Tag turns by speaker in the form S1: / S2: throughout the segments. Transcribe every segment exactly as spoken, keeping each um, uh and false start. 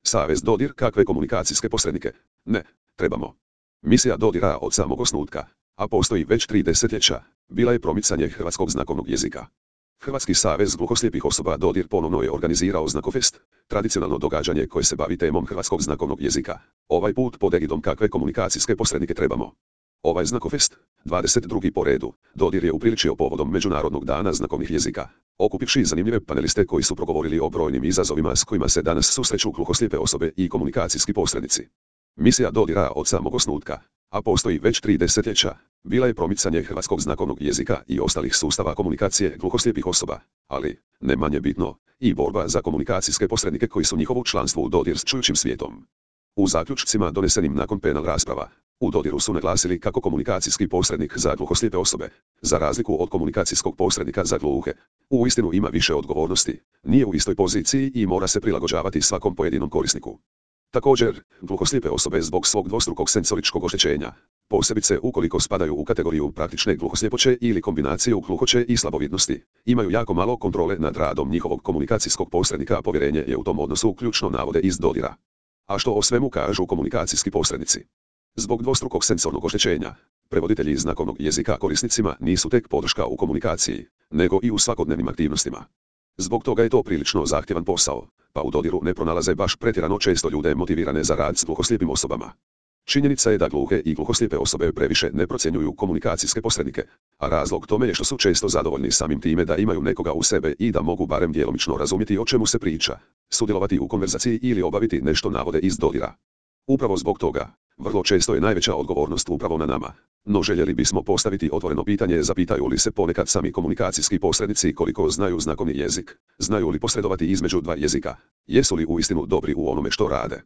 S1: Savez Dodir kakve komunikacijske posrednike? Ne, trebamo. Misija Dodira od samog osnutka, a postoji već tri desetljeća, bila je promicanje hrvatskog znakovnog jezika. Hrvatski savez gluhoslijepih osoba Dodir ponovno je organizirao Znakofest, tradicionalno događanje koje se bavi temom hrvatskog znakovnog jezika. Ovaj put pod egidom kakve komunikacijske posrednike trebamo. Ovaj Znakofest, dvadeset drugi po redu, Dodir je upriličio povodom Međunarodnog dana znakovnih jezika, okupivši zanimljive paneliste koji su progovorili o brojnim izazovima s kojima se danas susreću gluhoslijepe osobe i komunikacijski posrednici. Misija Dodira od samog osnutka, a postoji već tri desetljeća, bila je promicanje hrvatskog znakovnog jezika i ostalih sustava komunikacije gluhoslijepih osoba, ali, ne manje bitno, i borba za komunikacijske posrednike koji su njihovo članstvo u Dodir s čujućim svijetom. U zaključcima donesenim nakon panel rasprava, u Dodiru su naglasili kako komunikacijski posrednik za gluhoslijepe osobe, za razliku od komunikacijskog posrednika za gluhe, uistinu ima više odgovornosti, nije u istoj poziciji i mora se prilagođavati svakom pojedinom korisniku. Također, gluhoslijepe osobe zbog svog dvostrukog senzoričkog oštećenja, posebice ukoliko spadaju u kategoriju praktične gluhosljepoće ili kombinaciju gluhoće i slabovidnosti, imaju jako malo kontrole nad radom njihovog komunikacijskog posrednika, a povjerenje je u tom odnosu ključno, navode iz Dodira. A što o svemu kažu komunikacijski posrednici? Zbog dvostrukog senzornog oštećenja, prevoditelji znakovnog jezika korisnicima nisu tek podrška u komunikaciji, nego i u svakodnevnim aktivnostima. Zbog toga je to prilično zahtjevan posao, pa u Dodiru ne pronalaze baš pretjerano često ljude motivirane za rad s gluhoslijepim osobama. Činjenica je da gluhe i gluhoslijepe osobe previše ne procjenjuju komunikacijske posrednike, a razlog tome je što su često zadovoljni samim time da imaju nekoga u sebe i da mogu barem djelomično razumjeti o čemu se priča, sudjelovati u konverzaciji ili obaviti nešto, navode iz Dodira. Upravo zbog toga, vrlo često je najveća odgovornost upravo na nama, no željeli bismo postaviti otvoreno pitanje, zapitaju li se ponekad sami komunikacijski posrednici koliko znaju znakovni jezik, znaju li posredovati između dva jezika, jesu li uistinu dobri u onome što rade.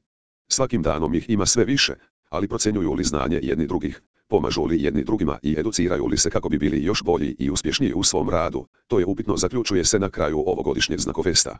S1: Svakim danom ih ima sve više, ali procjenjuju li znanje jedni drugih, pomažu li jedni drugima i educiraju li se kako bi bili još bolji i uspješniji u svom radu, to je upitno, zaključuje se na kraju ovogodišnjeg Znakofesta.